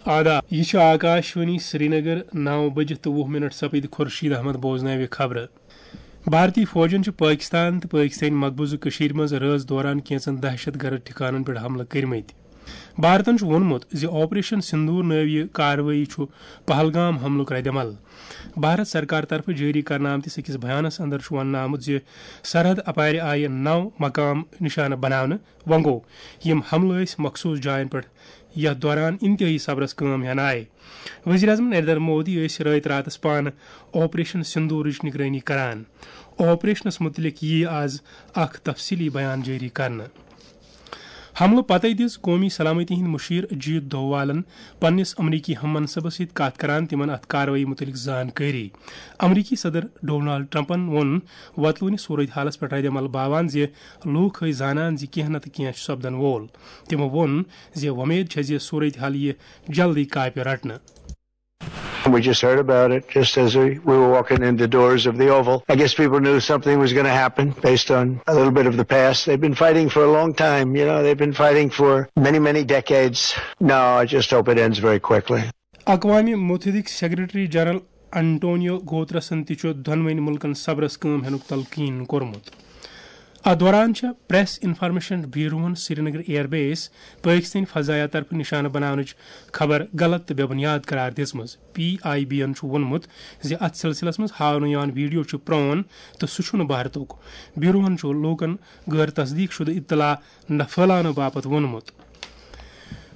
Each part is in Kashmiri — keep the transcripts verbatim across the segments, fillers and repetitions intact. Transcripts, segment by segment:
آداب، یہِ چھِ آکاشوانی سرینگر۔ نو بجہِ تہٕ وُہ منٹ سپٕدۍ۔ خورشید احمد بوزناوِ خبرٕ۔ بھارتی فوجن چھِ پٲکستان تہٕ پٲکستٲنۍ مقبوضہٕ کٔشیٖرِ منٛز رٲژ دوران کینٛژن دہشت گرد ٹھکانن پٮ۪ٹھ حملہٕ کٔرمٕتۍ۔ بھارتن چھُ ووٚنمُت زِ آپریشن سندور نٲوۍ یہِ کاروٲیی چھُ پہلگام حملُک ردعمل۔ بھارت سرکار طرفہٕ جٲری کرنہٕ آمتِس أکِس بیانس اندر چھُ وننہٕ آمُت زِ سرحد اپارِ آیہِ نو مقام نشانہٕ بناونہٕ۔ وۄنۍ گوٚو، یِم حملہٕ ٲسۍ مخصوٗص جاین پٮ۪ٹھ، یتھ دوران انتہٲئی صبرس کٲم ہٮ۪نہٕ آیہِ۔ وزیر اعظم نریندر مودی ٲسۍ رٲتۍ راتس پانہٕ آپریشن سندورٕچ نگرٲنی کران۔ آپریشنس متعلق ییہِ آز اکھ تفصیلی بیان جٲری کرنہٕ۔ حملہٕ پتَے دِژ قومی سلامتی ہٕنٛدۍ مُشیر اجیت دووالَن پننِس امریکی ہم منصبس سۭتۍ کتھ کران تِمن اتھ کاروٲیی مُتعلق زانکٲری۔ امریکی صدر ڈونالڈ ٹرمپن ووٚن وۄتلوٕنہِ صورتحالس پٮ۪ٹھ ردعمل باوان زِ لوٗکھ ٲسۍ زانان زِ کینٛہہ نتہٕ کینٛہہ چھُ سپدن وول۔ تِمو ووٚن زِ وۄمید چھےٚ زِ صورتحال یِیہِ جلدی کاپہِ رٹنہٕ۔ We just heard about it just as we, we were walking in the doors of the Oval. I guess people knew something was going to happen based on a little bit of the past. They've been fighting for a long time, you know, they've been fighting for many, many decades. No, I just hope it ends very quickly. اقوام متحدٕکۍ سیکرٹری جنرل انٹونیو گوترسن تہِ چھُ دۄنوٕنۍ مُلکن صبرس کٲم ہینُک تلقین کوٚرمُت۔ اتھ دوران چھےٚ پریس انفارمیشن بیوروہن سرینگر ایئر بیس پٲکستٲنۍ فضایہ طرفہٕ نشانہٕ بناونٕچ خبر غلط تہٕ بے بنیاد قرار دِژمٕژ۔ پی آئی بی یَن چھُ ووٚنمُت زِ اتھ سلسلس منٛز ہاونہٕ یِوان ویڈیو چھُ پرون تہٕ سُہ چھُنہٕ بھارتُک۔ بیوروہن چھُ لوٗکن غٲر تصدیق شدٕ اطلاع نہ پھٲلاونہٕ باپتھ ووٚنمُت۔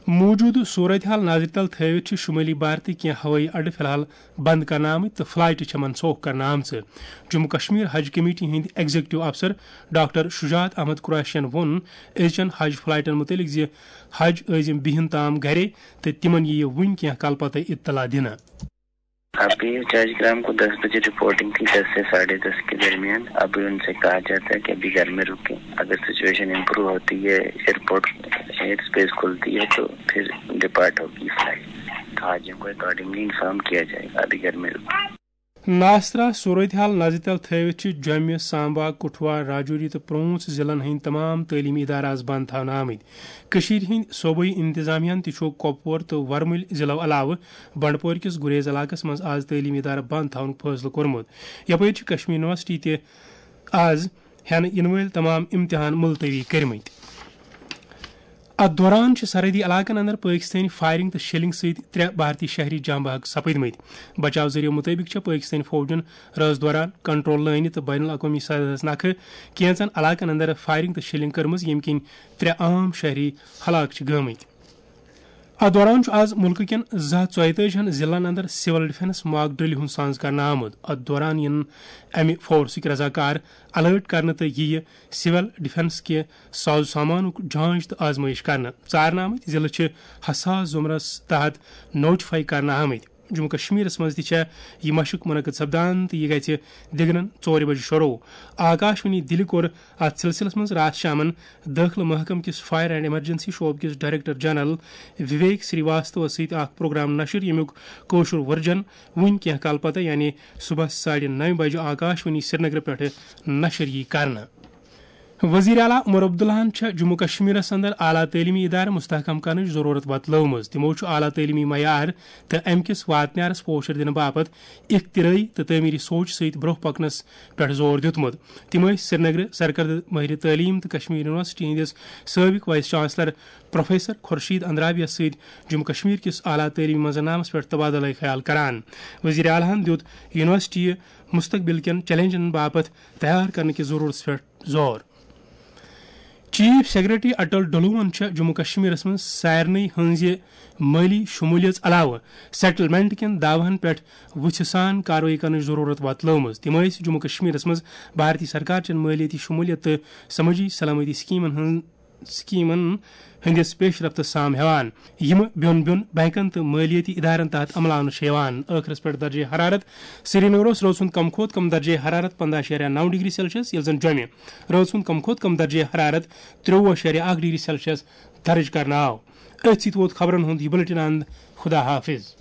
موجودٕ صورتحال نظرِ تل تھٲوِتھ چھِ شمٲلی بھارتٕکۍ کینٛہہ ہوٲیی اڈٕ فی الحال بند کرنہٕ آمٕتۍ تہٕ فلائٹہٕ چھےٚ منسوخ کرنہٕ آمژٕ۔ جموں کشمیر حج کمیٹی ہٕنٛدۍ ایگزیکٹو افسر ڈاکٹر شجاعت احمد قریشین ووٚن أزچٮ۪ن حج فلائٹن متعلق زِ حج عٲزم بِہِن تام گرے تہٕ تِمن یِیہِ وُنہِ کینٛہہ کالہٕ پتہٕ اطلاع دِنہٕ۔ ابھی جاج گرام کو دس بجے رپورٹنگ تھی، دس سے ساڑھے دس کے درمیان۔ ابھی ان سے کہا جاتا ہے کہ ابھی گھر میں رکیں، اگر سچویشن امپروو ہوتی ہے، ایئرپورٹ، ایئر اسپیس کھلتی ہے تو پھر ڈپارٹ ہوگی فلائٹ۔ تو حاجیوں کو اکارڈنگلی انفارم کیا جائے گا، ابھی گھر میں رکیں۔ ناسرا صورتحال نظرِ تل تھٲوِتھ چھِ جوٚمہِ، سامبا، کٹھوا، راجوری تہٕ پونٛچھ ضلعن ہٕنٛدۍ تمام تعلیمی ادارٕ از بند تھاونہٕ آمٕتۍ۔ کٔشیٖرِ ہٕنٛدۍ صوبٲئی انتظامیہن تہِ چھُ کۄپور تہٕ ورمُلۍ ضلعو علاوٕ بنڈپور کِس گریز علاقس منٛز از تعلیمی ادارٕ بند تھاونُک فٲصلہٕ کوٚرمُت۔ یپٲرۍ چھِ کشمیر یونیورسٹی تہِ از ہٮ۪نہٕ یِنہٕ وٲلۍ تمام امتحان ملتوی کٔرمٕتۍ۔ اتھ دوران چھِ سرحدی علاقن اندر پٲکستٲنۍ فائرنگ تہٕ شیلنگ سۭتۍ ترٛےٚ بھارتی شہری جاں بحق سپٕدمٕتۍ۔ بچاو ذٔریعہٕ مُطٲبِق چھےٚ پٲکستٲنۍ فوجن رٲژ دوران کنٹرول لٲنہِ تہٕ بین الاقوٲمی سرحدس نکھٕ کینٛژن علاقن اندر فائرنگ تہٕ شیلنگ کٔرمٕژ، ییٚمہِ کِنۍ ترٛےٚ عام شہری ہلاک چھِ گٲمٕتۍ۔ اتھ دوران چھُ از مُلکہٕ کٮ۪ن زٕ ہتھ ژۄیتٲجی ہن ضلعن اندر سول ڈیفنس ماک ڈرل ہُنٛد سنز کرنہٕ آمُت۔ اتھ دوران یِن امہِ فورسٕکۍ رضاکار الرٹ کرنہٕ تہٕ یِیہِ سول ڈیفنس کہِ ساز و سامانُک جانچ تہٕ آزمٲیش کرنہٕ۔ ژارنہٕ آمٕتۍ ضلعہٕ چھِ حساس زمرس تحت نوٹیفائی کرنہٕ آمٕتۍ۔ جموں کشمیرس منٛز تہِ چھےٚ یہِ مشق منعقد سپدان تہٕ یہِ گژھِ دِگنن ژورِ بجہِ شروع۔ آکاشوانی دِلہِ کوٚر اتھ سلسلس منٛز راتھ شامن دٲخلہٕ محکمہٕ کِس فائر اینڈ ایمرجنسی شعبہٕ کِس ڈائریکٹر جنرل وویک سری واستوَس سۭتۍ اکھ پروگرام نشر، ییٚمیُک کٲشُر ورجن وُنہِ کینٛہہ کال پتہٕ، یعنی صبحس ساڑِ نَوِ بجہِ آکاشوانی سرینگرٕ پٮ۪ٹھٕ نشر یی کرنہٕ۔ وزیر اعلیٰ عمر عبداللہن چھےٚ جموں کشمیرس اندر اعلیٰ تعلیمی ادارٕ مستحکم کرنٕچ ضرورت وتلٲومٕژ۔ تِمو چھُ اعلیٰ تعلیمی معیار تہٕ امہِ کِس واتنیارس پوشر دِنہٕ باپتھ اختراعی تہٕ تعمیری سوچ سۭتۍ برونٛہہ پکنس پٮ۪ٹھ زور دیُتمُت۔ تِم ٲسۍ سرینگرٕ سرکردٕ مٲہرِ تعلیٖم تہٕ کشمیر یونیورسٹی ہٕنٛدِس سٲبق وائس چانسلر پروفیسر خورشید اندرابیَس سۭتۍ جموں کشمیر کِس اعلیٰ تعلیمی منظرنامس پٮ۪ٹھ تبادلہ خیال کران۔ وزیر اعلیٰ ہن دیُت یونیورسٹی مستقبل کٮ۪ن چیلنجن باپتھ تیار کرنہٕ کِس ضرورتس پٮ۪ٹھ زور۔ چیف سیکرٹری اٹل ڈلوون چھےٚ جموں کشمیرس منٛز سارنٕے ہٕنٛزِ مٲلی شمولیژ علاوٕ سیٹلمنٹ کٮ۪ن دعوہن پٮ۪ٹھ وُژھِ سان کاروٲیی کرنٕچ ضرورت وۄتلٲومٕژ۔ تِم ٲسۍ جموں کشمیرس منٛز بھارتی سرکار چٮ۪ن مٲلیٲتی شمولیت تہٕ سمٲجی سلامتی سکیمن ہٕنٛز سکیمن ہٕنٛدِس پیش رفتس سام ہٮ۪وان، یِم بیوٚن بیوٚن بینکن تہٕ مٲلیٲتی ادارن تحت عملاونہٕ چھِ یِوان۔ ٲخرس پٮ۪ٹھ درجہ حرارت۔ سرینگر اوس رٲژ ہُنٛد کم کھۄتہٕ کم درجہ حرارت پنٛداہ اَشاریہ نَو ڈگری سیلسیس، ییٚلہِ زن جوٚمہِ رٲژ ہُنٛد کم کھۄتہٕ کم درجہ حرارت ترٛۆوُہ اَشاریہ اَکھ ڈگری سیلسیس درج کرنہٕ آو۔ أتھۍ سۭتۍ ووت خبرن ہُنٛد یہِ بلیٹن اند۔ خدا حافظ۔